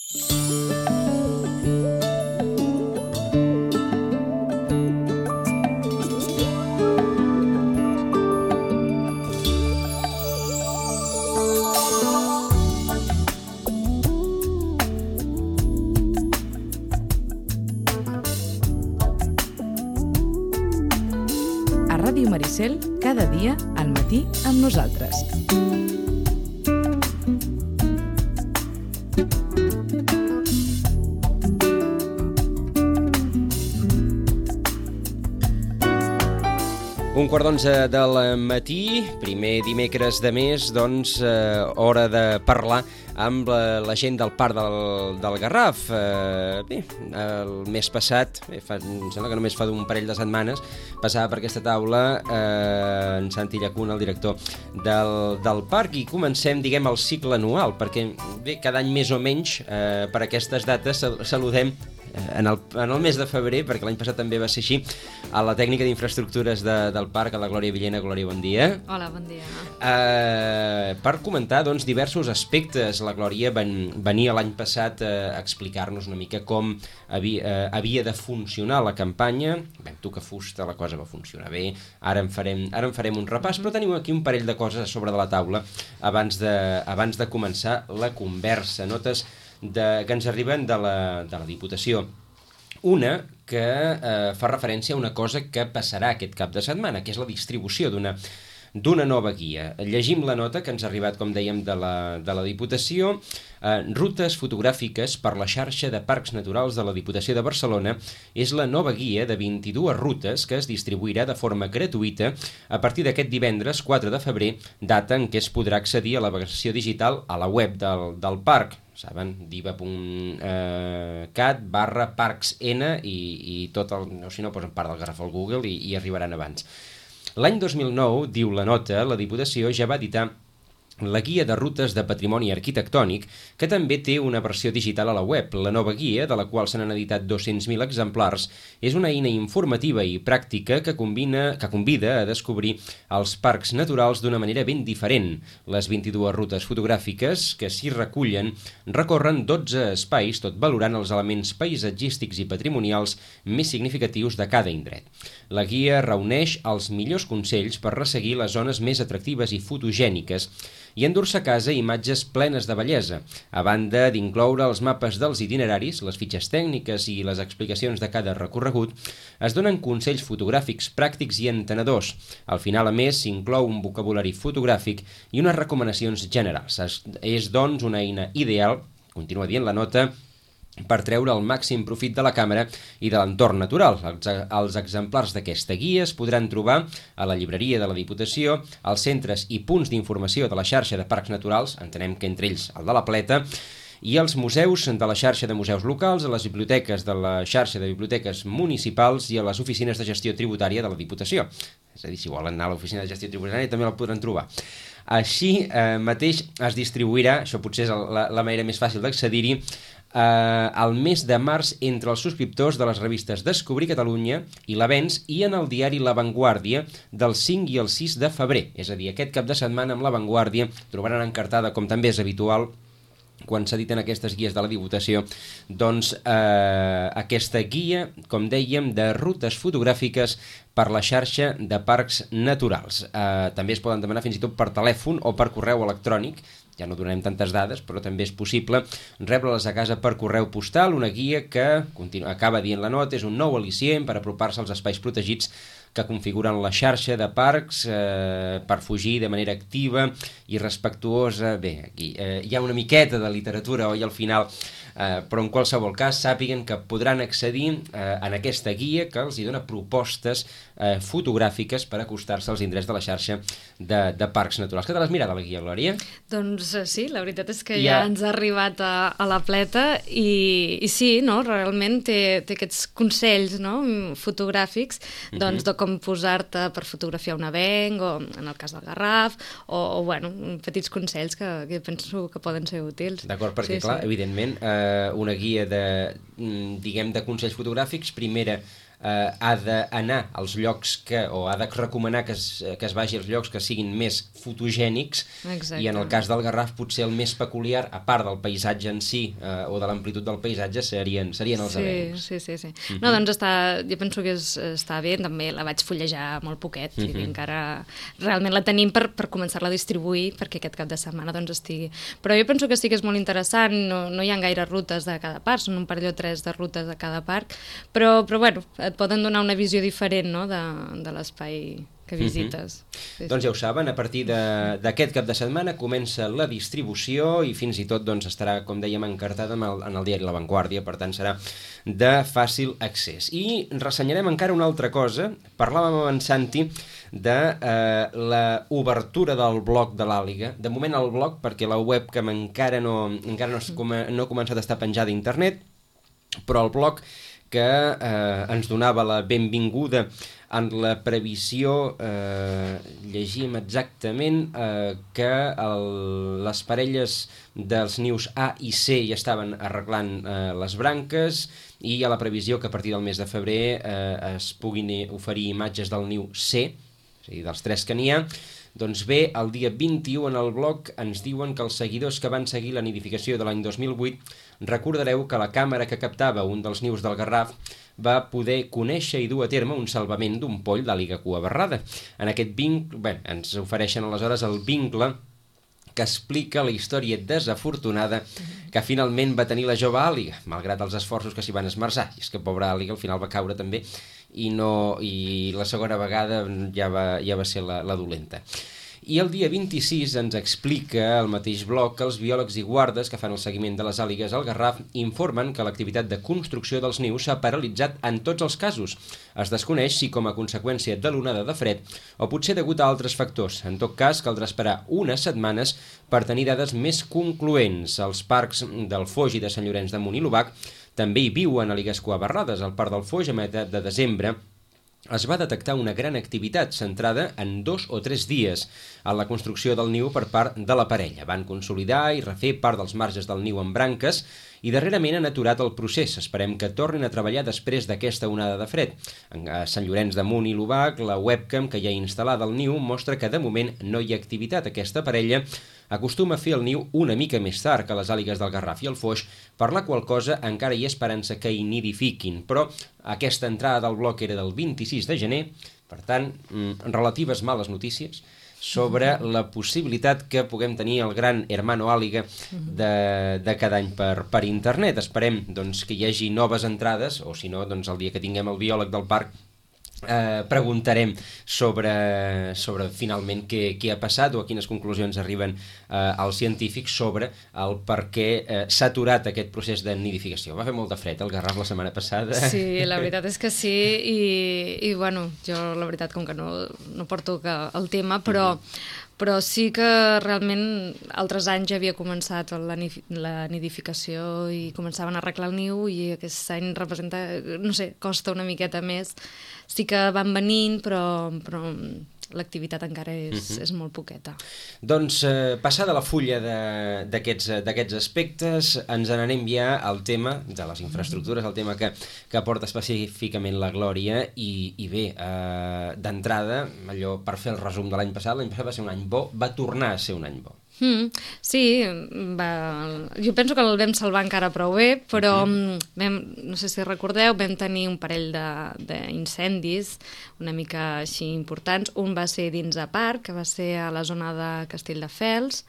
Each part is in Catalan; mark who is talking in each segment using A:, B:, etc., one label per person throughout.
A: Ràdio Maricel, cada dia al matí amb nosaltres.
B: Un quart d'11 del matí, primer dimecres de mes, doncs hora de parlar amb la gent del Parc del Garraf. Bé, el mes passat, em sembla que només fa un parell de setmanes, passava per aquesta taula en Santi Llacuna, el director del parc, i comencem, diguem, el cicle anual, perquè bé, cada any més o menys per aquestes dates saludem en el mes de febrer, perquè l'any passat també va ser així, a la tècnica d'infraestructures del parc, a la Glòria Villena. Glòria, bon dia.
C: Hola, bon dia.
B: Per comentar, doncs, diversos aspectes. La Glòria venia l'any passat a explicar-nos una mica com havia de funcionar la campanya. Vam tocar fusta, la cosa va funcionar bé. Ara en farem un repàs, però tenim aquí un parell de coses a sobre de la taula abans de començar la conversa. Notes que ens arriben de la Diputació. Una que fa referència a una cosa que passarà aquest cap de setmana, que és la distribució d'una nova guia. Llegim la nota que ens ha arribat, com dèiem, de la Diputació. Rutes fotogràfiques per la xarxa de parcs naturals de la Diputació de Barcelona és la nova guia de 22 rutes que es distribuirà de forma gratuïta a partir d'aquest divendres 4 de febrer, data en què es podrà accedir a la versió digital a la web del parc. Saben, diva.cat/parcsn i tot el... Si no, posen Parc del Garraf al Google i arribaran abans. L'any 2009, diu la nota, la Diputació ja va editar la guia de rutes de patrimoni arquitectònic, que també té una versió digital a la web. La nova guia, de la qual se n'han editat 200.000 exemplars, és una eina informativa i pràctica que convida a descobrir els parcs naturals d'una manera ben diferent. Les 22 rutes fotogràfiques que s'hi recullen recorren 12 espais, tot valorant els elements paisatgístics i patrimonials més significatius de cada indret. La guia reuneix els millors consells per resseguir les zones més atractives i fotogèniques i endur-se a casa imatges plenes de bellesa, a banda d'incloure els mapes dels itineraris, les fitxes tècniques i les explicacions de cada recorregut. Es donen consells fotogràfics pràctics i entenedors. Al final, a més, s'inclou un vocabulari fotogràfic i unes recomanacions generals. És, doncs, una eina ideal, continua dient la nota, per treure el màxim profit de la càmera i de l'entorn natural. Els exemplars d'aquesta guia es podran trobar a la llibreria de la Diputació, als centres i punts d'informació de la xarxa de parcs naturals, entenem que entre ells el de la Pleta, i als museus de la xarxa de museus locals, a les biblioteques de la xarxa de biblioteques municipals i a les oficines de gestió tributària de la Diputació. És a dir, si volen anar a l'oficina de gestió tributària també la podran trobar. Així mateix es distribuirà, això potser és la manera més fàcil d'accedir-hi, al mes de març entre els subscriptors de les revistes Descobrir Catalunya i l'Avenç i en el diari La Vanguardia del 5 i el 6 de febrer. És a dir, aquest cap de setmana amb La Vanguardia trobaran encartada, com també és habitual, quan s'editen aquestes guies de la Diputació, doncs aquesta guia, com dèiem, de rutes fotogràfiques per la xarxa de parcs naturals. També es poden demanar fins i tot per telèfon o per correu electrònic. Ja no donarem tantes dades, però també és possible rebre-les a casa per correu postal, una guia que, acaba dient la nota, és un nou al·licient per apropar-se als espais protegits que configuren la xarxa de parcs per fugir de manera activa i respectuosa. Bé, aquí hi ha una miqueta de literatura, oi, al final, però en qualsevol cas sàpiguen que podran accedir en aquesta guia que els hi dona propostes fotogràfiques per acostar-se als indrets de la xarxa de parcs naturals. Què te l'has mirat, la guia, Glòria?
C: Doncs sí, la veritat és que ja ens ha arribat a la Pleta i sí, no? Realment té aquests consells, no? Fotogràfics, doncs, de com posar-te per fotografiar un avenc o en el cas del Garraf o bueno, petits consells que penso que poden ser útils.
B: D'acord, perquè clar, evidentment una guia de consells fotogràfics, primera ha d'anar als llocs o ha de recomanar que es vagi als llocs que siguin més fotogènics.
C: Exacte.
B: I en el cas del Garraf potser el més peculiar, a part del paisatge en si o de l'amplitud del paisatge, serien els avencs.
C: Sí. No, doncs jo penso que està bé, també la vaig fullejar molt poquet, i encara realment la tenim per començar-la a distribuir perquè aquest cap de setmana doncs estigui. Però jo penso que sí que és molt interessant, no hi ha gaire rutes de cada parc, són un parell o tres de rutes de cada parc, però bueno, et poden donar una visió diferent, no?, de l'espai que visites.
B: Doncs ja ho saben, a partir d'aquest cap de setmana comença la distribució i fins i tot doncs, estarà, com dèiem, encartada en el diari La Vanguardia, per tant serà de fàcil accés. I ressenyarem encara una altra cosa. Parlàvem amb en Santi de l'obertura del blog de l'Àliga. De moment el blog, perquè la webcam encara no ha començat a estar penjada a internet, però el blog que ens donava la benvinguda en la previsió, llegim exactament que les parelles dels nius A i C ja estaven arreglant les branques, i a la previsió que a partir del mes de febrer es puguin oferir imatges del niu C, és a dir, dels 3 que n'hi ha. Doncs bé, el dia 21 en el blog ens diuen que els seguidors que van seguir la nidificació de l'any 2008 recordareu que la càmera que captava un dels nius del Garraf va poder conèixer i dur a terme un salvament d'un poll d'àliga cua barrada. En aquest vincle, ens ofereixen aleshores el vincle que explica la història desafortunada que finalment va tenir la jove àliga, malgrat els esforços que s'hi van esmerçar. I és que pobra àliga al final va caure també, i la segona vegada ja va ser la dolenta. I el dia 26 ens explica el mateix blog que els biòlegs i guardes que fan el seguiment de les àligues al Garraf informen que l'activitat de construcció dels nius s'ha paralitzat en tots els casos. Es desconeix si com a conseqüència de l'onada de fred o potser degut a altres factors. En tot cas, caldrà esperar unes setmanes per tenir dades més concloents. Els parcs del Foix i de Sant Llorenç de Munt i l'Obac també hi viuen àligues cuabarrades. Al parc del Foix, a meitat de desembre, es va detectar una gran activitat centrada en 2 o 3 dies en la construcció del niu per part de la parella. Van consolidar i refer part dels marges del niu amb branques i darrerament han aturat el procés. Esperem que tornin a treballar després d'aquesta onada de fred. A Sant Llorenç de Munt i l'Obac, la webcam que hi ha instal·lada al niu mostra que de moment no hi ha activitat. Aquesta parella acostuma a fer el niu una mica més tard que les àligues del Garraf i el Foix, per la qual cosa encara hi ha esperança que hi nidifiquin, però aquesta entrada del bloc era del 26 de gener, per tant, relatives males notícies sobre la possibilitat que puguem tenir el gran hermano àliga de cada any per internet. Esperem doncs, que hi hagi noves entrades, o si no, doncs, el dia que tinguem el biòleg del parc preguntarem sobre finalment què ha passat o a quines conclusions arriben els científics sobre el per què s'ha aturat aquest procés de nidificació. Va fer molt de fred el Garraf la setmana passada.
C: Sí, la veritat és que sí, i bueno, jo la veritat com que no porto el tema, però sí que realment altres anys ja havia començat la nidificació i començaven a arreglar el niu, i aquest any representa, no sé, costa una miqueta més. Sí que van venint, però l'activitat encara és molt poqueta.
B: Doncs passada la fulla d'aquests aspectes, ens n'anem ja al tema de les infraestructures, el tema que porta específicament la Glòria, i bé, d'entrada, allò per fer el resum de l'any passat va ser un any bo, va tornar a ser un any bo.
C: Sí, jo penso que el vam salvar encara prou bé, però no sé si recordeu, vam tenir un parell d'incendis una mica així importants. Un va ser dins de parc, que va ser a la zona de Castelldefels,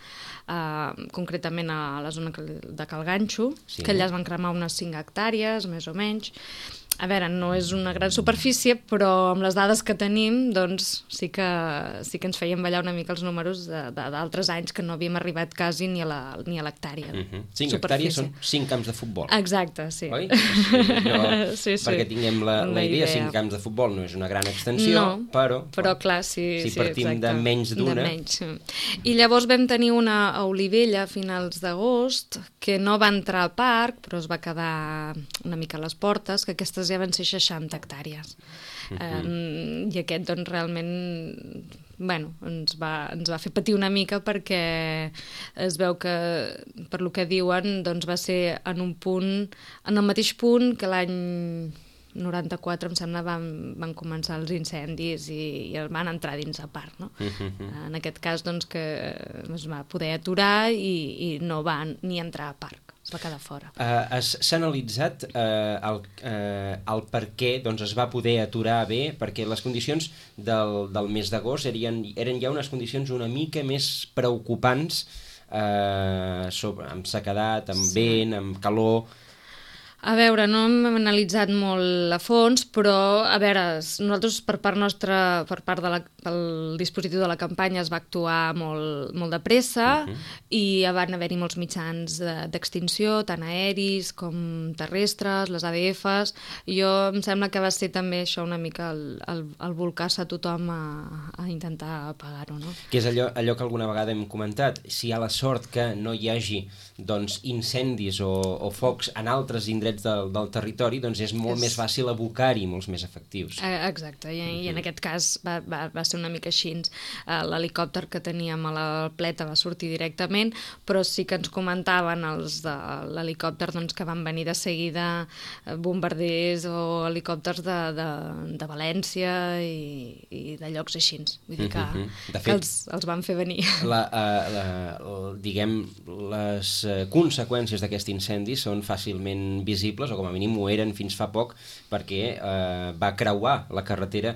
C: concretament a la zona de Cal Ganxo, que allà es van cremar unes 5 hectàrees, més o menys. A veure, no és una gran superfície, però amb les dades que tenim, doncs sí que ens feien ballar una mica els números d'altres anys que no havíem arribat quasi ni a l'hectàrea.
B: 5 hectàrees són 5 camps de futbol.
C: Exacte, sí.
B: Oi? Sí. Perquè tinguem la idea, 5 camps de futbol no és una gran extensió,
C: però clar, si
B: partim de menys d'una...
C: I llavors vam tenir una a Olivella a finals d'agost, que no va entrar al parc, però es va quedar una mica a les portes, que aquestes ja van ser 60 hectàrees. I aquest, doncs, realment, bueno, ens va fer patir una mica, perquè es veu que, per lo que diuen, doncs va ser en el mateix punt que l'any 94, em sembla, van començar els incendis i van entrar dins el parc, no? En aquest cas, doncs, que es va poder aturar i no va ni entrar al parc. Es va quedar fora.
B: S'ha analitzat el per què doncs, es va poder aturar bé, perquè les condicions del mes d'agost eren ja unes condicions una mica més preocupants, amb sequedat, amb vent, amb calor.
C: A veure, no hem analitzat molt a fons, però, a veure, nosaltres per part nostra, per part del dispositiu de la campanya es va actuar molt de pressa i van haver-hi molts mitjans d'extinció, tant aeris com terrestres, les ADFs. Jo em sembla que va ser també això una mica el volcar-se a tothom a intentar apagar-ho, no?
B: Que és allò que alguna vegada hem comentat, si hi ha la sort que no hi hagi doncs, incendis o focs en altres indrets del territori, doncs és molt més fàcil abocar-hi molts més efectius.
C: Exacte, i en aquest cas va ser una mica així. L'helicòpter que teníem a la Pleta va sortir directament, però sí que ens comentaven els de l'helicòpter doncs, que van venir de seguida bombarders o helicòpters de València i de llocs així. Vull dir que els van fer venir.
B: Diguem, les conseqüències d'aquest incendi són fàcilment visibles, o com a mínim ho eren fins fa poc, perquè va creuar la carretera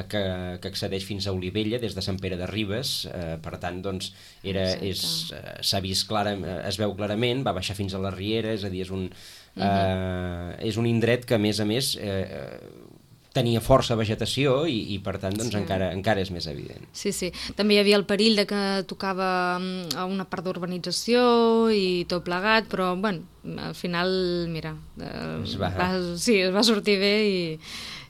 B: que accedeix fins a Olivella des de Sant Pere de Ribes, per tant doncs s'ha vist es veu clarament, va baixar fins a la Riera, és a dir, és un indret que a més tenia força vegetació i per tant doncs, encara és més evident.
C: Sí. També hi havia el perill de que tocava a una part d'urbanització i tot plegat, però bueno, al final, mira, es va sortir bé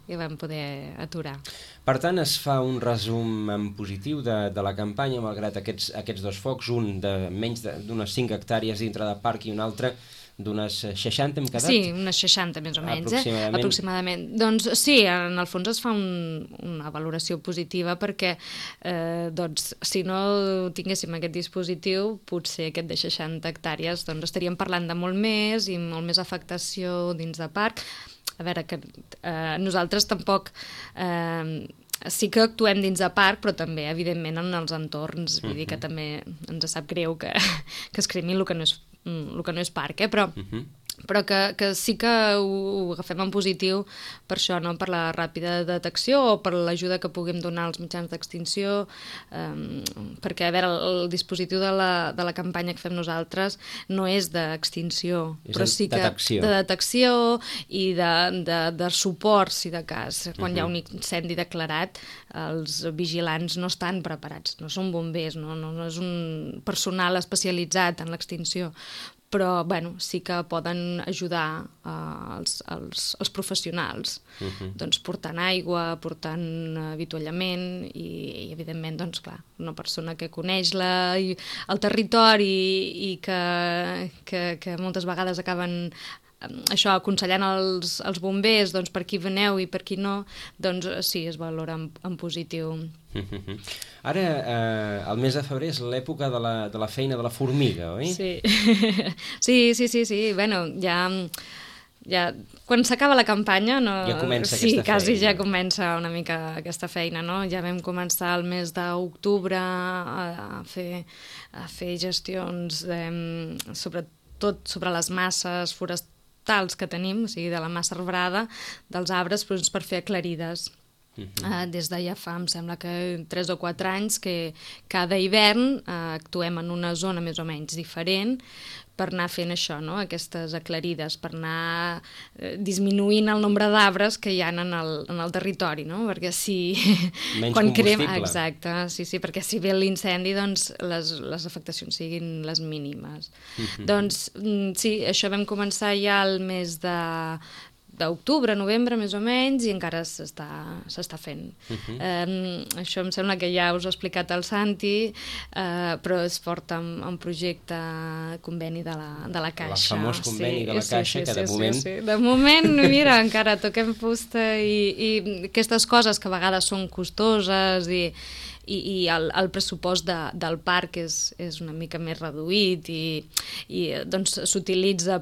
C: i vam poder aturar.
B: Per tant, es fa un resum en positiu de la campanya, malgrat aquests dos focs, un de menys d'unes 5 hectàrees dintre del parc i un altre d'unes 60 hem quedat?
C: Sí, unes 60 més o menys, aproximadament. Doncs sí, en el fons es fa una valoració positiva perquè doncs, si no tinguéssim aquest dispositiu, potser aquest de 60 hectàrees doncs, estaríem parlant de molt més i molt més afectació dins de parc. A veure, que nosaltres tampoc... sí que actuem dins de parc, però també, evidentment, en els entorns. Vull dir que també ens sap greu que es cremi el que no és parc, però que sí que ho agafem en positiu per això, no? Per la ràpida detecció o per l'ajuda que puguem donar als mitjans d'extinció, perquè, a veure, el dispositiu de la campanya que fem nosaltres no és d'extinció, però sí que de detecció i de suport, si de cas. Quan hi ha un incendi declarat, els vigilants no estan preparats, no són bombers, no és un personal especialitzat en l'extinció, però bueno, sí que poden ajudar els professionals, doncs portant aigua, portant avituallament i evidentment, doncs clar, una persona que coneix el territori i que moltes vegades acaben això, aconsellant els bombers, doncs per qui veneu i per qui no, doncs sí, es valora en positiu.
B: Ara, el mes de febrer és l'època de la feina de la formiga, oi?
C: Sí. Bueno, ja quan s'acaba la campanya ja comença aquesta feina. Quasi ja comença una mica aquesta feina, no? Ja vam començar el mes d'octubre a fer gestions sobretot sobre les masses forestals que tenim, o sigui, de la massa arbrada dels arbres, doncs, per fer aclarides. Des de ja fa, em sembla que 3 o 4 anys, que cada hivern actuem en una zona més o menys diferent per anar fent això, no? Aquestes aclarides, per anar disminuint el nombre d'arbres que hi ha en el territori, no? Perquè si...
B: Menys combustible.
C: Exacte, sí, perquè si ve l'incendi, doncs les afectacions siguin les mínimes. Doncs sí, això vam començar ja el mes d'octubre, novembre, més o menys, i encara s'està fent. Això em sembla que ja us ho ha explicat el Santi, però es porta un projecte conveni de la Caixa.
B: El famós conveni de la Caixa, que de moment...
C: Sí. De moment, mira, encara toquem fusta i aquestes coses que a vegades són costoses i el pressupost del parc és una mica més reduït i doncs s'utilitza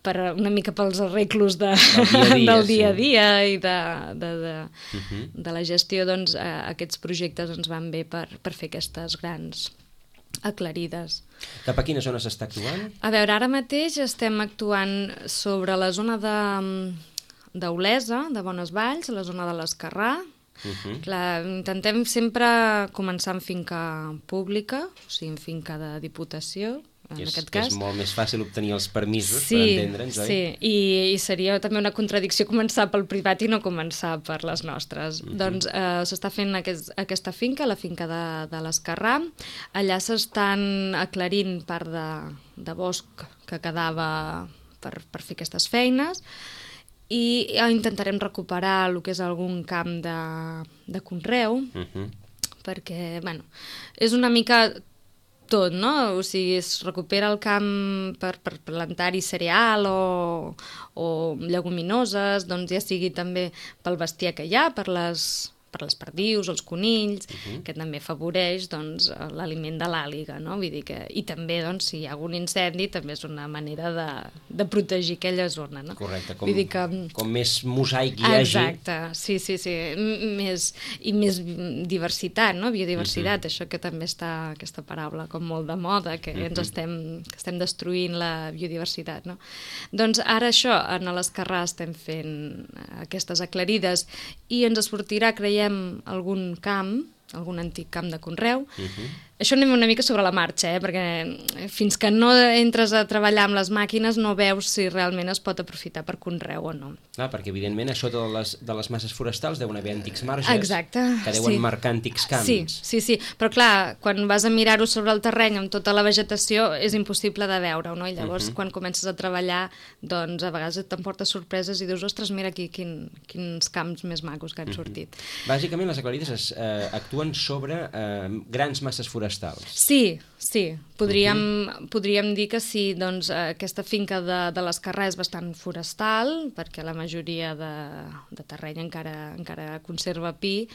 C: una mica pels arreglos del dia a dia i de la gestió, doncs aquests projectes ens van bé per fer aquestes grans aclarides.
B: Cap a quina zona s'està actuant?
C: A veure, ara mateix estem actuant sobre la zona d'Olesa, de Bonesvalls, la zona de l'Esquerrà. Clar, intentem sempre començar en finca pública, o sigui, en finca de Diputació, en aquest cas.
B: És molt més fàcil obtenir els permisos per entendre'ns, oi?
C: Sí, i seria també una contradicció començar pel privat i no començar per les nostres. Doncs s'està fent aquesta finca, la finca de l'Esquerrà. Allà s'estan aclarint part de bosc que quedava per fer aquestes feines, i intentarem recuperar el que és algun camp de conreu, perquè, bueno, és una mica tot, no? O sigui, es recupera el camp per plantar-hi cereal o lleguminoses, doncs ja sigui també pel bestiar que hi ha, per les perdius, els conills, que també afavoreix doncs, l'aliment de l'àliga, no? Vull dir que, i també, doncs, si hi ha algun incendi, també és una manera de protegir aquella zona, no?
B: Correcte, com més mosaic hi hagi.
C: Exacte, sí, més diversitat, no? Biodiversitat, això que també està, aquesta paraula, com molt de moda, que ens estem destruint la biodiversitat, no? Doncs ara això, en l'Esquerrà estem fent aquestes aclarides i ens sortirà, creiem, algun camp, algun antic camp de conreu. Això anem una mica sobre la marxa, perquè fins que no entres a treballar amb les màquines no veus si realment es pot aprofitar per conreu o no.
B: Clar, perquè evidentment a sota de les masses forestals deuen haver antics marges.
C: Exacte,
B: que deuen marcar antics camps.
C: Sí, però clar, quan vas a mirar-ho sobre el terreny amb tota la vegetació és impossible de veure-ho, no? I llavors quan comences a treballar, doncs a vegades t'emportes sorpreses i dius, ostres, mira aquí quins camps més macos que han sortit.
B: Bàsicament les aclarides actuen sobre grans masses forestals.
C: Sí, podríem dir que sí, doncs aquesta finca de l'Esquerrà és bastant forestal, perquè la majoria de terreny encara conserva pi.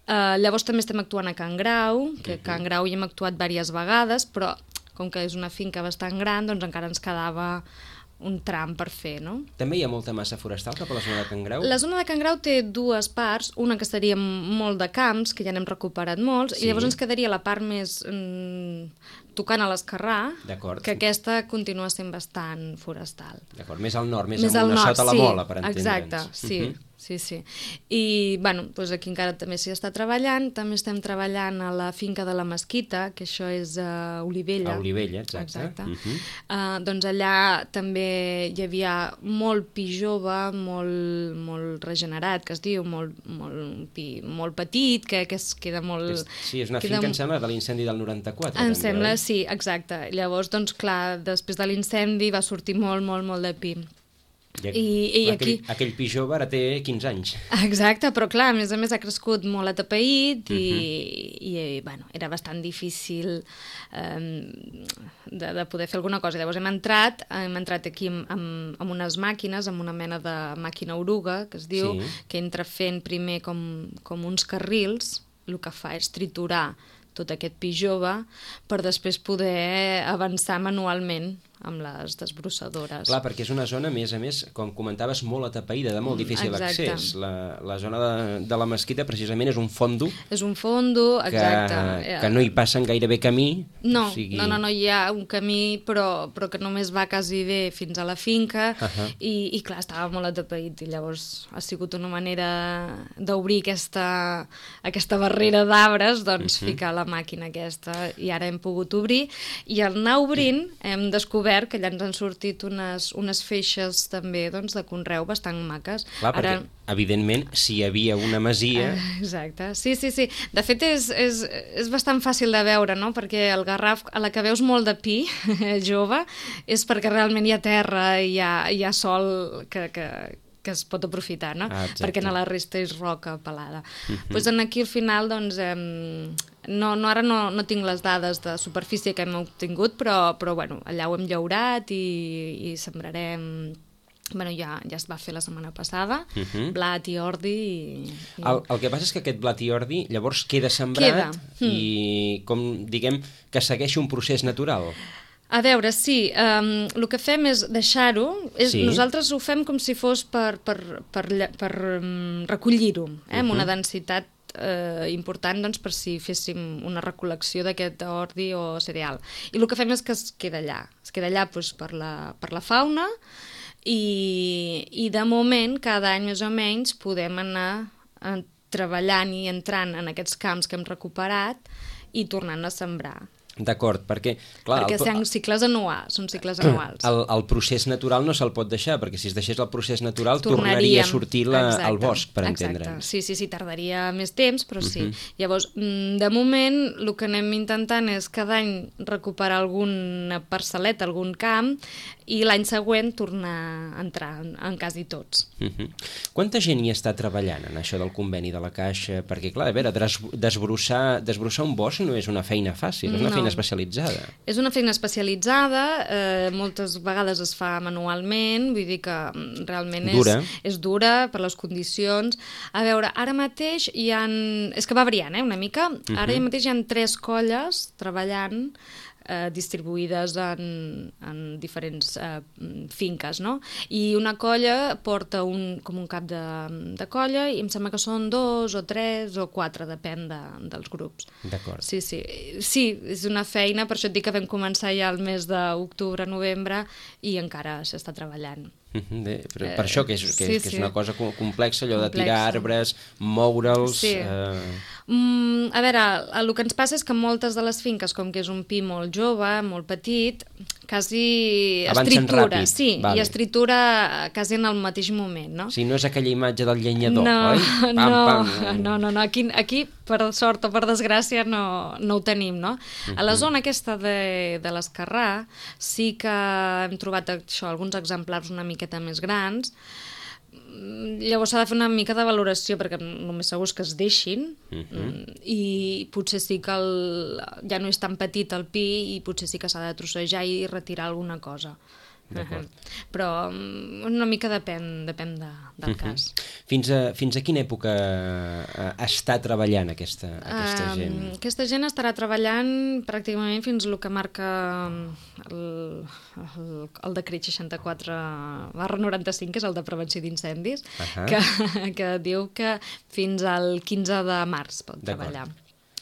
C: Llavors també estem actuant a Can Grau, que a Can Grau hi hem actuat diverses vegades, però com que és una finca bastant gran, doncs encara ens quedava un tram per fer, no?
B: També hi ha molta massa forestal cap a la zona de Can Grau?
C: La zona de Can Grau té dues parts, una que seria molt de camps, que ja n'hem recuperat molts, i llavors ens quedaria la part més tocant a l'Esquerrà, que aquesta continua sent bastant forestal.
B: D'acord, més al nord, més amunt, sota la Mola, per entendre'ns.
C: Exacte, sí. I, bueno, doncs aquí encara també s'hi està treballant, també estem treballant a la finca de la Mesquita, que això és a Olivella.
B: A Olivella, exacte.
C: Doncs allà també hi havia molt pi jove, molt regenerat, que es diu, molt petit, que es queda molt...
B: Sí, és una finca, em sembla, de l'incendi del 94.
C: Em sembla, sí, exacte. Llavors, doncs clar, després de l'incendi va sortir molt de pi. I
B: aquell pi jove ara té 15 anys.
C: Exacte, però clar, a més ha crescut molt atapeït i bueno, era bastant difícil de poder fer alguna cosa. Llavors hem entrat aquí amb unes màquines, amb una mena de màquina oruga, que es diu, que entra fent primer com uns carrils, el que fa és triturar tot aquest pi jove per després poder avançar manualment amb les desbrossadores.
B: Clar, perquè és una zona, a més, com comentaves, molt atapeïda, de molt difícil accés. La zona de la Mesquita, precisament, és un fondo.
C: És un fondo, exacte.
B: Que no hi passen gairebé camí.
C: No, hi ha un camí, però que només va quasi bé fins a la finca, i clar, estava molt atapeït, i llavors ha sigut una manera d'obrir aquesta barrera d'arbres, doncs ficar la màquina aquesta, i ara hem pogut obrir, i al anar obrint hem descobert que allà ens han sortit unes feixes també de conreu bastant maques.
B: Clar, perquè evidentment si hi havia una masia...
C: Exacte, sí. De fet és bastant fàcil de veure, no? Perquè el Garraf, a la que veus molt de pi jove, és perquè realment hi ha terra i hi ha sol que es pot aprofitar, no? Perquè a la resta és roca pelada. Doncs aquí al final, doncs, ara no tinc les dades de superfície que hem obtingut, però bueno, allà ho hem llaurat i sembrarem... Bueno, ja es va fer la setmana passada, blat i ordi...
B: El que passa és que aquest blat i ordi llavors queda sembrat i, com diguem, que segueix un procés natural.
C: A veure, sí, el que fem és deixar-ho. Nosaltres ho fem com si fos per recollir-ho, amb una densitat important per si féssim una recol·lecció d'aquest ordi o cereal. I el que fem és que es queda allà. Es queda allà per la fauna i de moment, cada any més o menys, podem anar treballant i entrant en aquests camps que hem recuperat i tornant a sembrar.
B: D'acord, perquè...
C: Perquè són cicles anuals.
B: El procés natural no se'l pot deixar, perquè si es deixés el procés natural tornaria a sortir al bosc, per entendre'ns.
C: Sí, tardaria més temps, però sí. Llavors, de moment, el que anem intentant és cada any recuperar alguna parcel·leta, algun camp, i l'any següent tornar a entrar en quasi tots.
B: Quanta gent hi està treballant en això del conveni de la Caixa? Perquè, clar, a veure, desbrossar un bosc no és una feina fàcil, és una feina especialitzada.
C: És una feina especialitzada, moltes vegades es fa manualment, vull dir que realment és dura per les condicions. A veure, ara mateix hi ha... És que va variant, una mica. Ara mateix hi ha 3 colles treballant distribuïdes en diferents finques, no? I una colla porta com un cap de colla i em sembla que són 2 o 3 o 4, depèn dels grups.
B: D'acord.
C: Sí, és una feina, per això et dic que vam començar ja el mes d'octubre-novembre i encara s'està treballant.
B: Per això que és una cosa complexa, allò de tirar arbres, moure'ls...
C: A veure, el que ens passa és que moltes de les finques, com que és un pi molt jove, molt petit, quasi es tritura. Sí, i es tritura quasi en el mateix moment, no?
B: Sí, no és aquella imatge del llenyador, oi?
C: No, aquí, per sort o per desgràcia, no ho tenim, no? A la zona aquesta de l'Esquerrà sí que hem trobat alguns exemplars una miqueta més grans. Llavors s'ha de fer una mica de valoració perquè només segur que es deixin i potser sí que ja no és tan petit el pi i potser sí que s'ha de trossejar i retirar alguna cosa. Però una mica depèn del cas.
B: Fins a quina època està treballant aquesta gent?
C: Aquesta gent estarà treballant pràcticament fins al que marca el decret 64/95, que és el de prevenció d'incendis, que diu que fins al 15 de març pot treballar.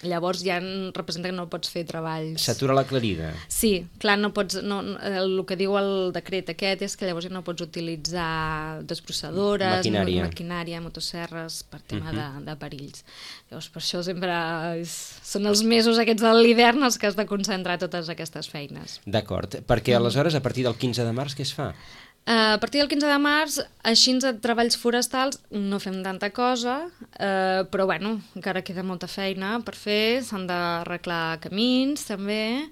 C: Llavors ja representa que no pots fer treballs...
B: S'atura la aclarida.
C: Sí, clar, no pots... el que diu el decret aquest és que llavors ja no pots utilitzar desbrossadores, maquinària, motosserres, per tema de perills. Llavors per això sempre són els mesos aquests de l'hivern els que has de concentrar totes aquestes feines.
B: D'acord, perquè aleshores a partir del 15 de març què es fa?
C: A partir del 15 de març, així de treballs forestals no fem tanta cosa, però bueno, encara queda molta feina per fer. S'han d'arreglar camins també,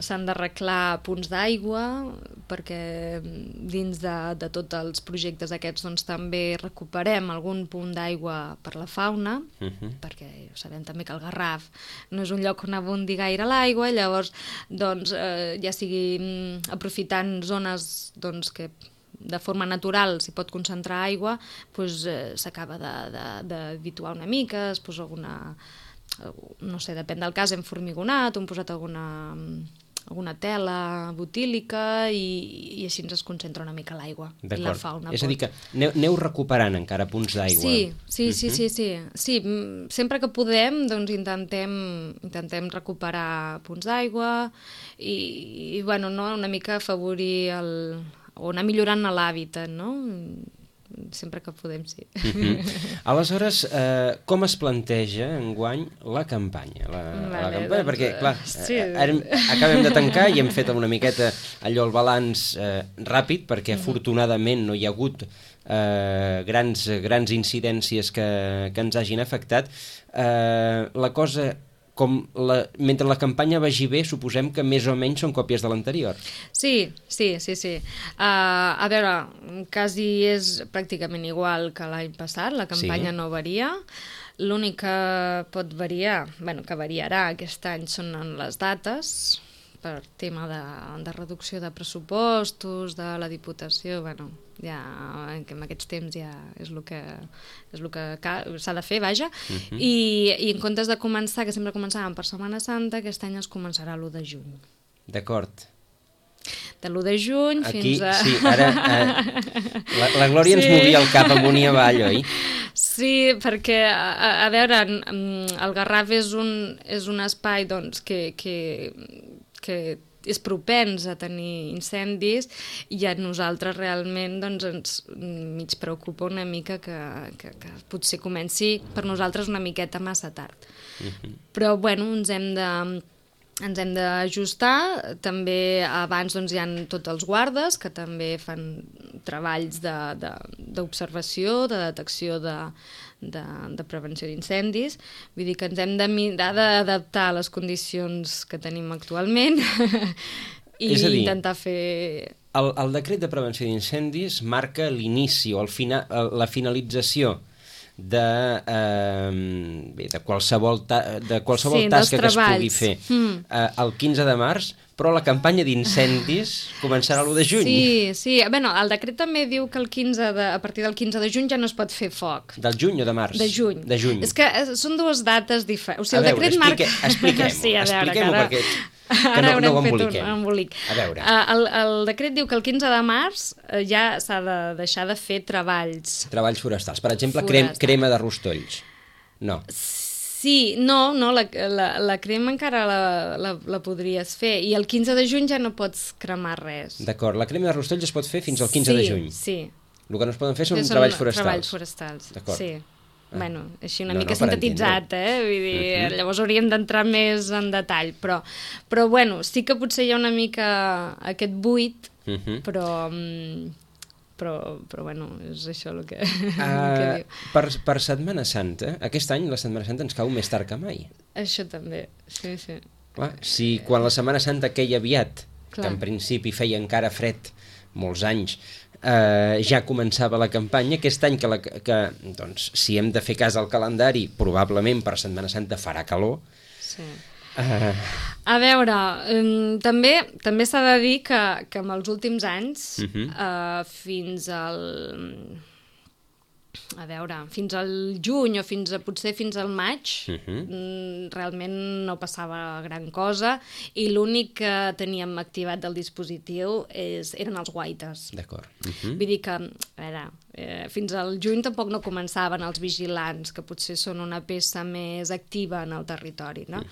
C: s'han d'arreglar punts d'aigua, perquè dins de tots els projectes aquests doncs, també recuperem algun punt d'aigua per la fauna, perquè sabem també que el Garraf no és un lloc on abundi gaire l'aigua, i llavors doncs, ja sigui aprofitant zones doncs, que de forma natural s'hi pot concentrar aigua, doncs s'acaba d'habituar una mica, es posa alguna, no sé, depèn del cas, hem formigonat, hem posat alguna tela butílica i així ens es concentra una mica l'aigua i la fauna.
B: És a dir, que aneu recuperant encara punts d'aigua.
C: Sí. Sempre que podem doncs intentem recuperar punts d'aigua i bueno, una mica afavorir o anar millorant l'hàbitat, no? Sempre que podem, sí.
B: Aleshores, com es planteja enguany la campanya? Perquè, clar, acabem de tancar i hem fet una miqueta allò el balanç ràpid, perquè afortunadament no hi ha hagut grans incidències que ens hagin afectat. La cosa... mentre la campanya vagi bé, suposem que més o menys són còpies de l'anterior.
C: Sí. A veure, quasi és pràcticament igual que l'any passat, la campanya no varia. L'únic que pot variar, que variarà aquest any són les dates, per tema de reducció de pressupostos, de la Diputació, ja en aquests temps ja és el que s'ha de fer, vaja, i en comptes de començar, que sempre començàvem per Setmana Santa, aquest any es començarà l'1 de juny.
B: D'acord.
C: De l'1 de juny
B: Aquí,
C: fins a...
B: sí, ara la Glòria ens movia el cap amunt i avall, oi?
C: Sí, perquè, a veure, el Garraf és un espai doncs, que és propens a tenir incendis i a nosaltres realment doncs, ens mig preocupa una mica que potser comenci per nosaltres una miqueta massa tard. Però, bueno, ens hem d'ajustar. També abans doncs, hi ha tots els guardes que també fan treballs d'observació, de detecció de prevenció d'incendis. Vull dir que ens hem de mirar d'adaptar a les condicions que tenim actualment i intentar fer...
B: El decret de prevenció d'incendis marca l'inici o la finalització de qualsevol tasca que es pugui fer el 15 de març, però la campanya d'incendis començarà l'1 de juny.
C: Sí. Bueno, el decret també diu que a partir del 15 de juny ja no es pot fer foc.
B: Del juny o de març?
C: De juny. És que són dues dates diferents. O sigui,
B: el decret marca... Expliquem-ho, perquè...
C: Ara
B: no ho
C: haurem fet un embolic.
B: A veure.
C: El decret diu que el 15 de març ja s'ha de deixar de fer treballs.
B: Treballs forestals. Per exemple, crema de rostolls. No.
C: Sí, no, la crema encara la podries fer. I el 15 de juny ja no pots cremar res.
B: D'acord, la crema de rostolls es pot fer fins al 15 de juny.
C: Sí.
B: El que no es poden fer són treballs forestals.
C: Treballs forestals,
B: d'acord.
C: Sí. Bueno, així una mica sintetitzat, Vull dir, llavors hauríem d'entrar més en detall, però bueno, sí que potser hi ha una mica aquest buit, però bueno, és això el que diu.
B: Per Setmana Santa, aquest any la Setmana Santa ens cau més tard que mai.
C: Això també, sí.
B: Clar, si quan la Setmana Santa queia aviat, que en principi feia encara fred, molts anys, ja començava la campanya. Aquest any que doncs, si hem de fer cas al calendari, probablement per Setmana Santa farà calor.
C: Sí. A veure, també s'ha de dir que en els últims anys, fins al juny o potser fins al maig, realment no passava gran cosa i l'únic que teníem activat del dispositiu eren els guaites.
B: D'acord.
C: Vull dir que, a veure, fins al juny tampoc no començaven els vigilants, que potser són una peça més activa en el territori, no?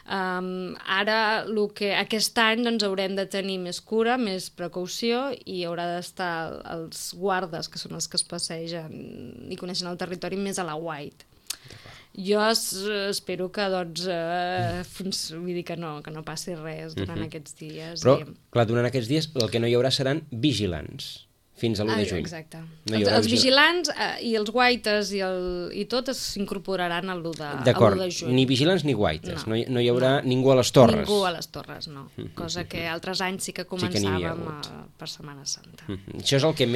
C: Ara, aquest any doncs, haurem de tenir més cura, més precaució i haurà d'estar els guardes, que són els que es passegen i coneixen el territori, més a la white. Jo espero que vull dir que no passi res durant aquests dies.
B: Però, clar, durant aquests dies el que no hi haurà seran vigilants fins a l'1 de juny.
C: Exacte. Els vigilants i els guaites i tot s'incorporaran a l'1 de juny.
B: D'acord, ni vigilants ni guaites. No hi haurà ningú a les torres.
C: Ningú a les torres, no. Cosa que altres anys sí que començàvem per Setmana Santa.
B: Això és el que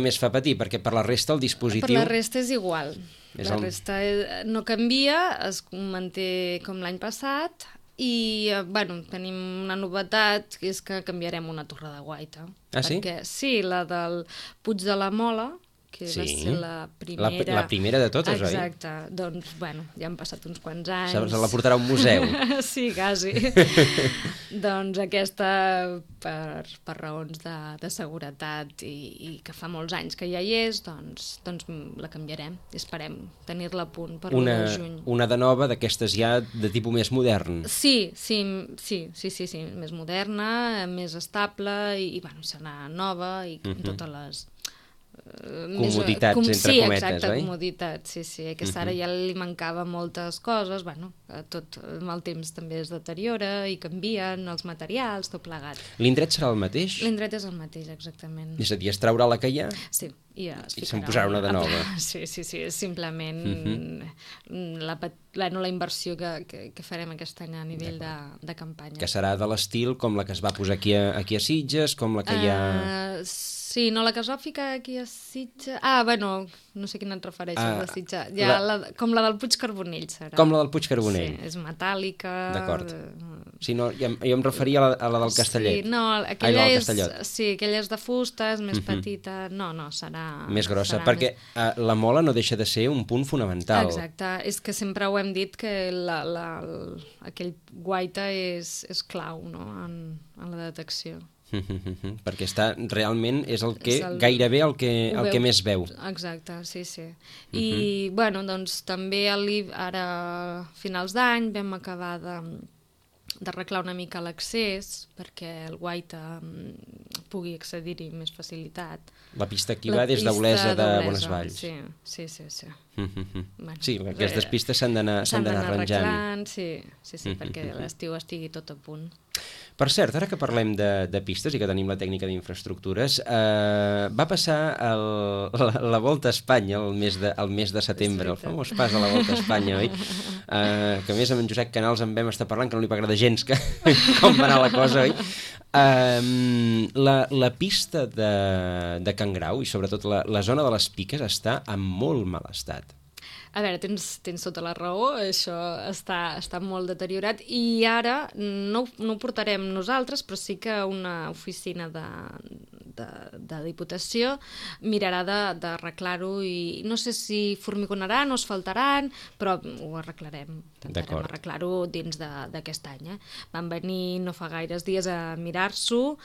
B: més fa patir, perquè per la resta el dispositiu...
C: Per la resta és igual. La resta no canvia, es manté com l'any passat i, bueno, tenim una novetat, que és que canviarem una torre de guaita.
B: Ah, sí?
C: Perquè, sí, la del Puig de la Mola, que va ser la primera...
B: La primera de totes, oi?
C: Exacte. Doncs, bueno, ja han passat uns quants anys.
B: Se la portarà a un museu.
C: Sí, quasi. Doncs aquesta, per raons de seguretat i que fa molts anys que ja hi és, doncs la canviarem. Esperem tenir-la a punt per l'1 de juny.
B: Una de nova, d'aquestes ja de tipus més modern.
C: Sí, més moderna, més estable i bueno, serà nova i amb totes les...
B: comoditats, entre cometes,
C: exacte,
B: oi?
C: Comoditats, sí. Aquesta ara ja li mancava moltes coses, bueno, tot amb el temps també es deteriora i canvien els materials, tot plegat.
B: L'indret serà el mateix?
C: L'indret és el mateix, exactament.
B: És a dir, es traurà la que hi ha?
C: Sí, i
B: se'n posarà una de nova.
C: Sí, és simplement la inversió que farem aquest any a nivell de campanya.
B: Que serà de l'estil com la que es va posar aquí a Sitges, com la que hi ha...
C: Sí, no, la que es va ficar aquí a Sitges... bueno, no sé quina et refereixes de Sitges. Com la del Puig Carbonell serà.
B: Com la del Puig Carbonell.
C: Sí, és metàl·lica...
B: D'acord. Sí, no, jo em referia a la del Castellet.
C: Sí, no, aquella és de fusta, és més petita... No, serà...
B: Més grossa, perquè la mola no deixa de ser un punt fonamental.
C: Exacte, és que sempre ho hem dit que aquell guaita és clau, no?, en la detecció.
B: Perquè realment és el que gairebé el que més veu.
C: Exacte, sí. I, bueno, doncs també ara, a finals d'any, vam acabar d'arreglar una mica l'accés perquè el guaita pugui accedir-hi amb més facilitat.
B: La pista aquí va des d'Olesa de Bonesvalls.
C: Sí.
B: Sí, aquestes pistes s'han d'anar arranjant.
C: Sí, perquè l'estiu estigui tot a punt.
B: Per cert, ara que parlem de pistes i que tenim la tècnica d'infraestructures, va passar la Volta a Espanya el mes de setembre, el famós pas a la Volta a Espanya, oi? Que a més amb en Josep Canals en vam estar parlant, que no li va agradar gens com va anar la cosa, oi? La pista de Can Grau i sobretot la zona de les Piques està en molt mal estat.
C: A veure, tens tota la raó, això està molt deteriorat i ara no ho portarem nosaltres, però sí que una oficina de Diputació mirarà d'arreglar-ho i no sé si formigonaran o asfaltaran, però ho arreglarem. Intentarem arreglar-ho dins d'aquest any. Van venir no fa gaires dies a mirar-s'ho,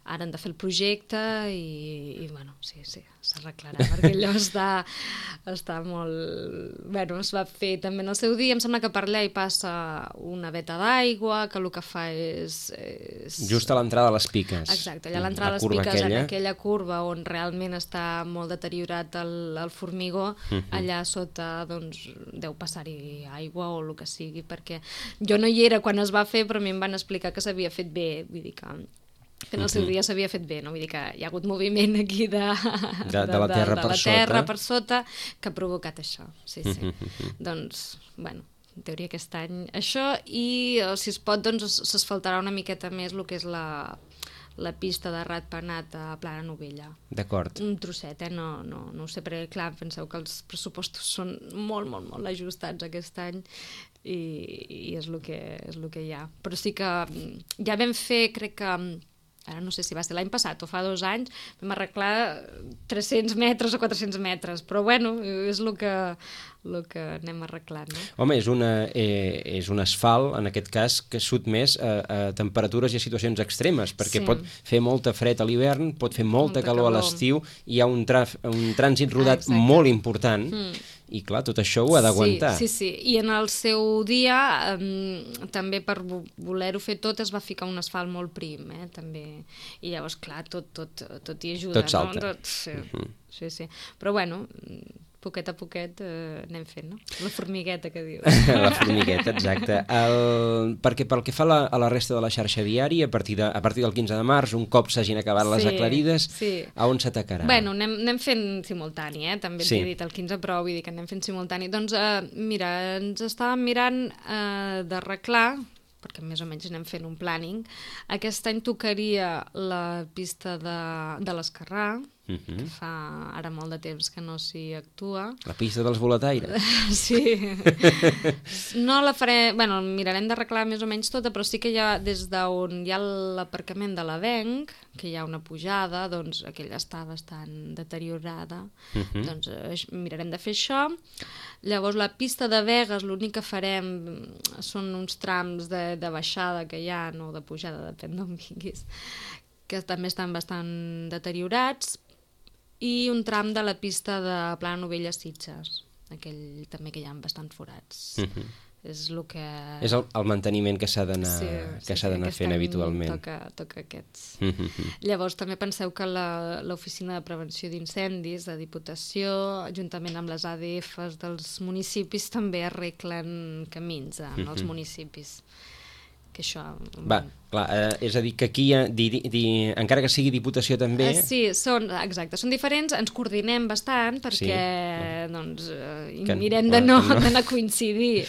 C: ara han de fer el projecte i bueno, sí, s'arreglarà, perquè allò està molt... Bueno, es va fer també en el seu dia, em sembla que per allà hi passa una veta d'aigua, que el que fa és...
B: Just a l'entrada de les Piques.
C: Exacte, allà a l'entrada de les Piques, en aquella curva on realment està molt deteriorat el formigó, allà sota doncs deu passar-hi aigua o el que sigui, perquè jo no hi era quan es va fer, però a mi em van explicar que s'havia fet bé, vull dir que en el seu dia s'havia fet bé, no? Vull dir que hi ha hagut moviment aquí de la terra per sota que ha provocat això, sí. Doncs, bueno, en teoria aquest any això, i si es pot doncs s'asfaltarà una miqueta més el que és la pista de Ratpenat a Plana Novella.
B: D'acord.
C: Un trosset, no ho sé, perquè clar, penseu que els pressupostos són molt ajustats aquest any i és el que hi ha. Però sí que ja vam fer, crec que ara no sé si va ser l'any passat o fa 2 anys, vam arreglar 300 metres o 400 metres, però bueno, és el que anem arreglant, no?
B: Home, és un asfalt, en aquest cas, que sotmès a temperatures i a situacions extremes, perquè pot fer molta fred a l'hivern, pot fer molta calor a l'estiu, hi ha un trànsit rodat molt important, i clar, tot això ho ha d'aguantar.
C: Sí, i en el seu dia també per voler-ho fer tot es va ficar un asfalt molt prim, també, i llavors clar, tot hi ajuda.
B: Tot salta.
C: Sí, però bueno, poquet a poquet anem fent, no? La formigueta que dius.
B: La formigueta, exacte. Perquè pel que fa a la resta de la xarxa viària, a partir del 15 de març, un cop s'hagin acabat les aclarides, a on s'atacarà?
C: Bueno, anem fent simultani, també t'he dit el 15, però vull dir que anem fent simultani. Doncs mira, ens estàvem mirant d'arreglar, perquè més o menys anem fent un planning. Aquest any tocaria la pista de l'Esquerrà, que fa ara molt de temps que no s'hi actua.
B: La pista dels boletaires.
C: Sí. No la faré... Bueno, mirarem d'arreglar més o menys tota, però sí que ja des d'on hi ha l'aparcament de l'Avenc, que hi ha una pujada, doncs aquella està bastant deteriorada. Doncs mirarem de fer això. Llavors la pista de Begues, l'únic que farem són uns trams de baixada que hi ha, no de pujada, depèn d'on vinguis, que també estan bastant deteriorats, i un tram de la pista de Plana Novella Sitges, aquell també que hi ha bastants forats. És el que...
B: És el manteniment que s'ha d'anar fent habitualment.
C: Toca aquests. Llavors també penseu que l'Oficina de Prevenció d'Incendis de Diputació, juntament amb les ADFs dels municipis, també arreglen camins en els municipis. Que això...
B: Clar, és a dir, que aquí, encara que sigui Diputació també...
C: Sí, són diferents, ens coordinem bastant perquè mirem de no d'anar a coincidir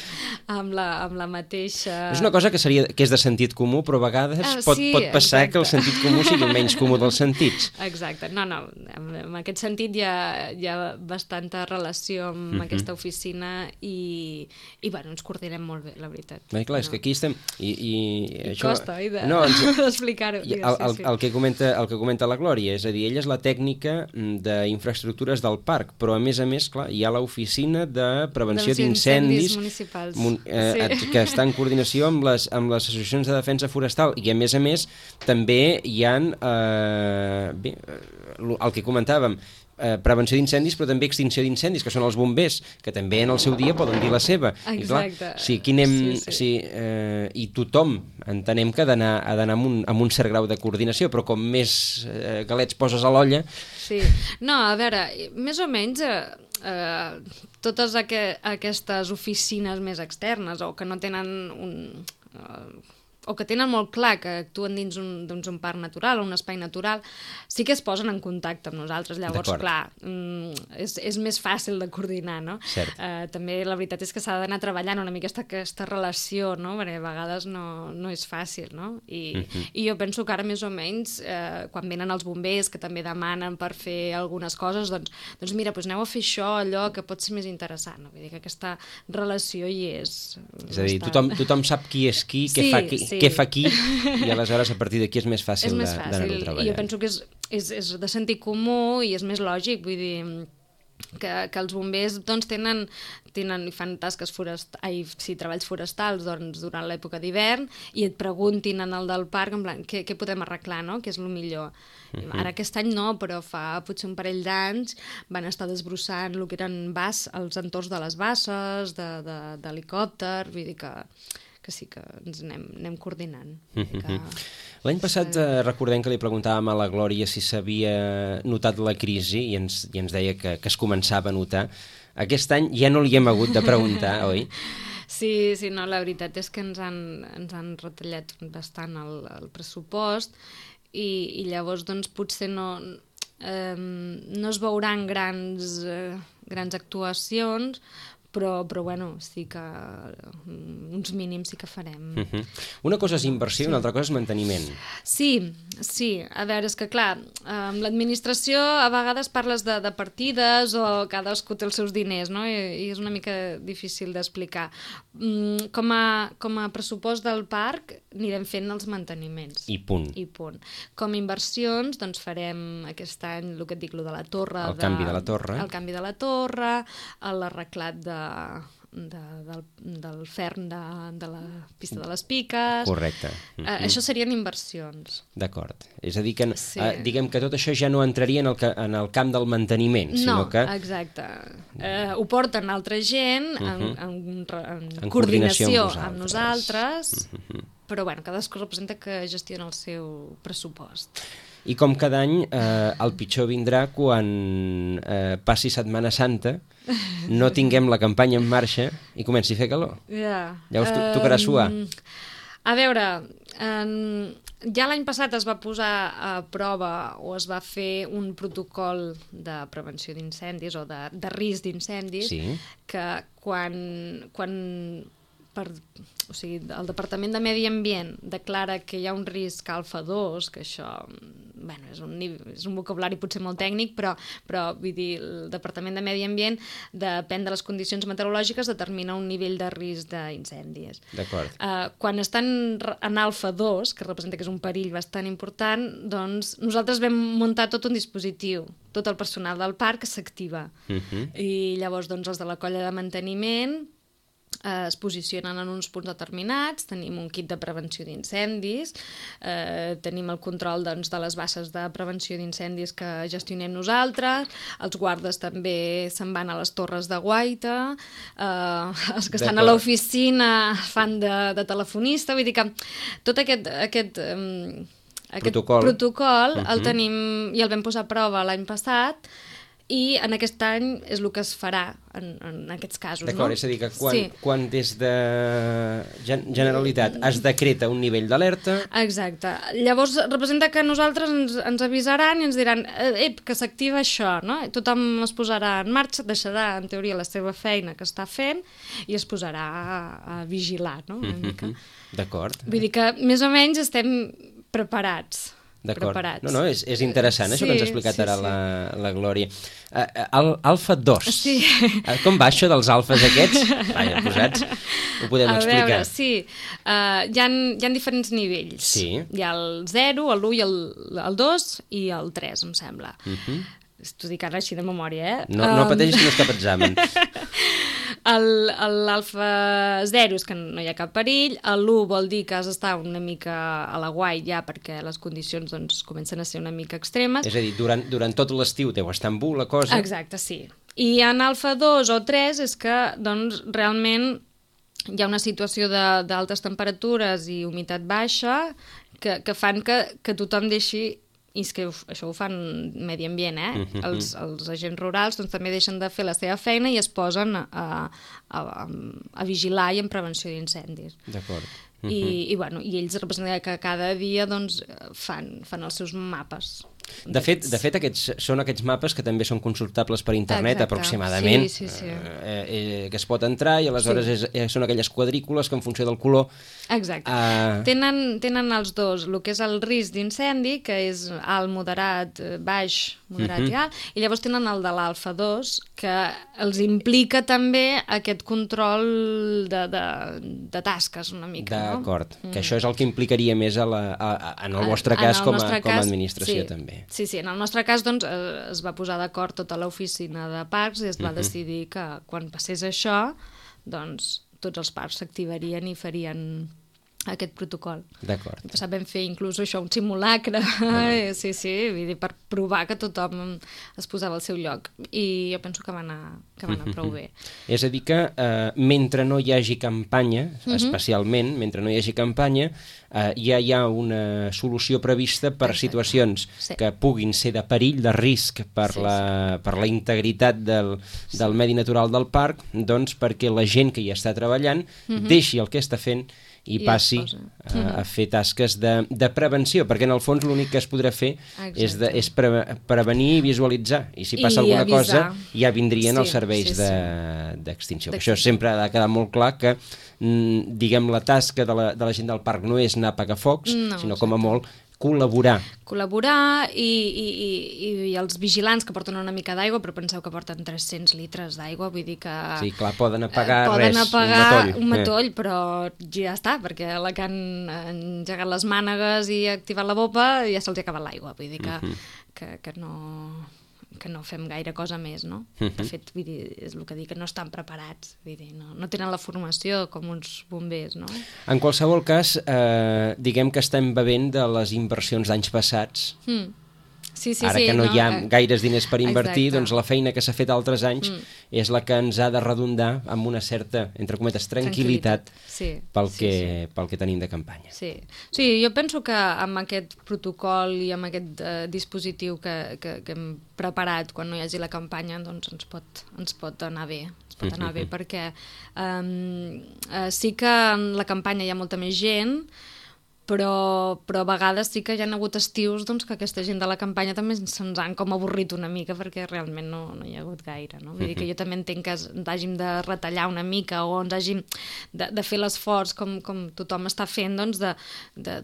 C: amb la mateixa...
B: És una cosa que és de sentit comú, però a vegades pot passar que el sentit comú sigui menys comú dels sentits.
C: Exacte, no, en aquest sentit hi ha bastanta relació amb aquesta oficina i bueno, ens coordinem molt bé, la veritat.
B: Clar, és que aquí estem...
C: I costa, i d'explicar-ho.
B: El que comenta la Glòria, és a dir, ella és la tècnica d'infraestructures del parc, però a més, clar, hi ha l'oficina de prevenció d'incendis
C: municipals
B: que està en coordinació amb les associacions de defensa forestal, i a més també hi ha el que comentàvem, prevenció d'incendis, però també extinció d'incendis, que són els bombers, que també en el seu dia poden dir la seva.
C: Exacte.
B: I tothom entenem que ha d'anar amb un cert grau de coordinació, però com més galets poses a l'olla...
C: Sí. No, a veure, més o menys totes aquestes oficines més externes o que no tenen o que tenen molt clar que actuen dins un parc natural o un espai natural, sí que es posen en contacte amb nosaltres. Llavors, clar, és més fàcil de coordinar, no? També la veritat és que s'ha d'anar treballant una mica aquesta relació, no? Perquè a vegades no és fàcil, no? I jo penso que ara més o menys, quan venen els bombers, que també demanen per fer algunes coses, doncs mira, aneu a fer això, allò, que pot ser més interessant. Vull dir que aquesta relació hi és.
B: És a dir, tothom sap qui és qui, què fa qui, i aleshores a partir d'aquí és més fàcil d'anar-ho treballant.
C: I jo penso que és de sentit comú i és més lògic, vull dir que els bombers doncs, tenen i fan tasques treballs forestals durant l'època d'hivern i et preguntin en el del parc en plan, què podem arreglar, no? Què és el millor. Ara aquest any no, però fa potser un parell d'anys van estar desbrossant el que eren els entorns de les basses, d'helicòpter, vull dir que sí que ens anem coordinant.
B: L'any passat recordem que li preguntàvem a la Glòria si s'havia notat la crisi i ens deia que es començava a notar. Aquest any ja no li hem hagut de preguntar, oi?
C: Sí, no, la veritat és que ens han retallat bastant el pressupost i llavors doncs potser no es veuran grans actuacions, però bueno, sí que uns mínims sí que farem.
B: Una cosa és inversió i una altra cosa és manteniment.
C: Sí, a veure, és que clar, amb l'administració a vegades parles de partides o cadascú té els seus diners, no? I és una mica difícil d'explicar. Com a pressupost del parc anirem fent els manteniments.
B: I punt.
C: Com a inversions, doncs farem aquest any el que et dic, el de la torre.
B: El canvi de la torre.
C: El canvi de la torre, l'arreglat del ferm de la pista de les Piques.
B: Correcte.
C: Això serien inversions.
B: D'acord. És a dir, que diguem que tot això ja no entraria en el camp del manteniment, sinó que...
C: No, exacte. Ho porten altra gent en coordinació amb nosaltres, però bueno, cadascú representa que gestiona el seu pressupost.
B: I com cada any, el pitjor vindrà quan passi Setmana Santa, no tinguem la campanya en marxa i comenci a fer calor. Ja us tocarà suar.
C: A veure, ja l'any passat es va posar a prova o es va fer un protocol de prevenció d'incendis o de risc d'incendis que el Departament de Medi Ambient declara que hi ha un risc alfa 2, que això és un vocabulari potser molt tècnic, però vull dir, el Departament de Medi Ambient, depèn de les condicions meteorològiques, determina un nivell de risc d'incendis.
B: D'acord.
C: Quan estan en alfa 2, que representa que és un perill bastant important, doncs nosaltres vam muntar tot un dispositiu, tot el personal del parc s'activa. I llavors doncs, els de la colla de manteniment es posicionen en uns punts determinats, tenim un kit de prevenció d'incendis, tenim el control de les basses de prevenció d'incendis que gestionem nosaltres, els guardes també se'n van a les torres de guaita, els que estan a l'oficina fan de telefonista, vull dir que tot aquest protocol el tenim i el vam posar a prova l'any passat, i en aquest any és el que es farà en aquests casos.
B: D'acord, és a dir, que quan des de Generalitat es decreta un nivell d'alerta...
C: Exacte. Llavors representa que nosaltres ens avisaran i ens diran que s'activa això, no? Tothom es posarà en marxa, deixarà en teoria la seva feina que està fent i es posarà a vigilar, no? Una mica.
B: D'acord.
C: Vull dir que més o menys estem preparats. preparats.
B: No, és interessant, això que ens ha explicat ara la Glòria. Alfa 2.
C: Sí.
B: Com va això dels alfes aquests? Vaja, posats, ho podem explicar.
C: A veure, sí. Hi ha diferents nivells.
B: Sí.
C: Hi ha el 0, l'1 i el 2 i el 3, em sembla. T'ho dic ara així de memòria,
B: No pateixis que no és cap examen.
C: L'alfa 0 és que no hi ha cap perill, l'1 vol dir que has d'estar una mica a la guai ja perquè les condicions doncs, comencen a ser una mica extremes.
B: És a dir, durant tot l'estiu deu estar en la cosa.
C: Exacte, sí. I en alfa 2 o 3 és que doncs, realment hi ha una situació d'altes temperatures i humitat baixa que fan que tothom deixi, i és que això ho fan medi ambient, els agents rurals doncs, també deixen de fer la seva feina i es posen a vigilar i en prevenció d'incendis.
B: D'acord.
C: I ells representen que cada dia doncs, fan els seus mapes.
B: De fet, aquests són aquests mapes que també són consultables per internet. Exacte. Aproximadament,
C: sí.
B: Que es pot entrar i aleshores són aquelles quadrícules que en funció del color...
C: Exacte. Tenen els dos, el que és el risc d'incendi, que és alt, moderat, baix, moderat i alt, i llavors tenen el de l'alfa 2, que els implica també aquest control de tasques una mica.
B: D'acord, que això és el que implicaria més en el vostre cas com a administració també.
C: Sí, en el nostre cas doncs, es va posar d'acord tota l'oficina de parcs i es va decidir que quan passés això, doncs tots els parcs s'activarien i farien aquest protocol.
B: D'acord.
C: Vam fer inclús això, un simulacre, sí, vull dir, per provar que tothom es posava al seu lloc. I jo penso que va anar prou bé.
B: És a dir que mentre no hi hagi campanya, especialment, mentre no hi hagi campanya, ja hi ha una solució prevista per situacions que puguin ser de perill, de risc per la integritat del medi natural del parc, doncs perquè la gent que hi està treballant deixi el que està fent i passi a fer tasques de prevenció, perquè en el fons l'únic que es podrà fer és prevenir i visualitzar, i si passa alguna cosa ja vindrien els serveis d'extinció. Això sempre ha de quedar molt clar que diguem la tasca de la gent del parc no és anar a apagar focs, sinó com a molt col·laborar i els vigilants que porten una mica d'aigua, però penseu que porten 300 litres d'aigua, vull dir que... Sí, clar, poden apagar
C: un matoll, però ja està, perquè la que han engegat les mànegues i activat la bopa ja se'ls ha acabat l'aigua, vull dir que no fem gaire cosa més, no? De fet, vull dir, és el que dic, que no estan preparats, vull dir, no tenen la formació com uns bombers, no?
B: En qualsevol cas, diguem que estem bevent de les inversions d'anys passats. Ara que no hi ha gaires diners per invertir, doncs la feina que s'ha fet altres anys és la que ens ha de redundar amb una certa, entre cometes, tranquil·litat pel que tenim de campanya.
C: Sí, jo penso que amb aquest protocol i amb aquest dispositiu que hem preparat quan no hi hagi la campanya, doncs ens pot anar bé. Perquè sí que en la campanya hi ha molta més gent, però a vegades sí que hi ha hagut estius doncs, que aquesta gent de la campanya també se'ns han com avorrit una mica perquè realment no hi ha hagut gaire. No? Vull dir que jo també entenc que ens hàgim de retallar una mica o ens hàgim de fer l'esforç com tothom està fent doncs, de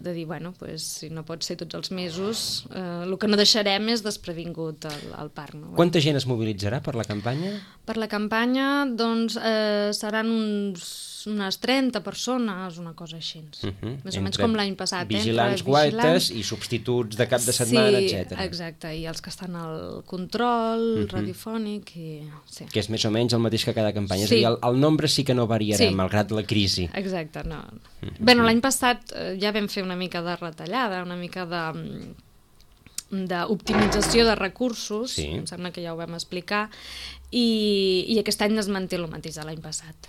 C: dir, bueno, pues, si no pot ser tots els mesos, el que no deixarem és desprevingut al parc. No?
B: Quanta gent es mobilitzarà per la campanya?
C: Per la campanya doncs, seran unes 30 persones, una cosa així. Més o menys com l'any passat.
B: Vigilants, guaites i substituts de cap de setmana, etc.
C: Sí, exacte, i els que estan al control radiofònic.
B: Que és més o menys el mateix que cada campanya. És a dir, el nombre sí que no variarà, malgrat la crisi.
C: Exacte, no. Bé, l'any passat ja vam fer una mica de retallada, una mica d'optimització de recursos, em sembla que ja ho vam explicar, i aquest any es manté el mateix de l'any passat.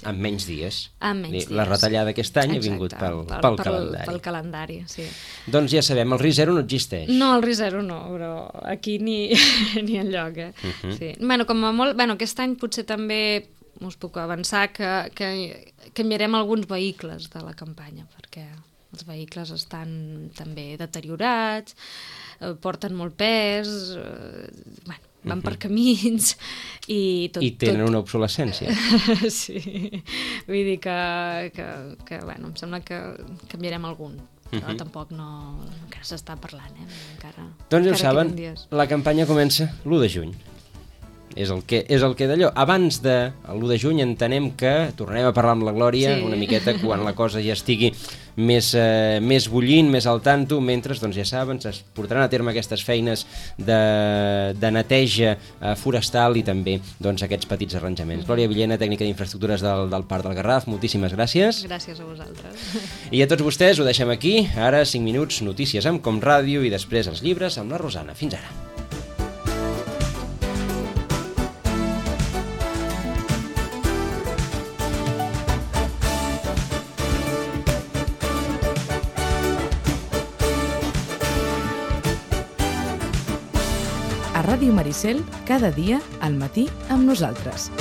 B: Amb menys dies.
C: Amb menys dies.
B: La retallada aquest any ha vingut pel calendari.
C: Pel calendari, sí.
B: Doncs ja sabem, el risc zero no existeix.
C: No, el risc zero no, però aquí ni enlloc. Bueno, com a molt... Aquest any potser també us puc avançar que canviarem alguns vehicles de la campanya, perquè els vehicles estan també deteriorats, porten molt pes, van per camins i tot...
B: I tenen una obsolescència.
C: Sí, vull dir que em sembla que canviarem algun. però tampoc no... encara s'està parlant, encara...
B: Doncs ja ho saben, la campanya comença l'1 de juny. És el que d'allò. Abans de l'1 de juny entenem que tornarem a parlar amb la Glòria una miqueta quan la cosa ja estigui més bullint, més al tanto, mentre, doncs ja saben, es portaran a terme aquestes feines de neteja forestal i també doncs, aquests petits arranjaments. Glòria Villena, tècnica d'infraestructures del Parc del Garraf, moltíssimes gràcies.
C: Gràcies a vosaltres.
B: I a tots vostès ho deixem aquí. Ara 5 minuts, notícies amb Com Ràdio i després els llibres amb la Rosana. Fins ara.
A: A Ràdio Maricel, cada dia al matí amb nosaltres.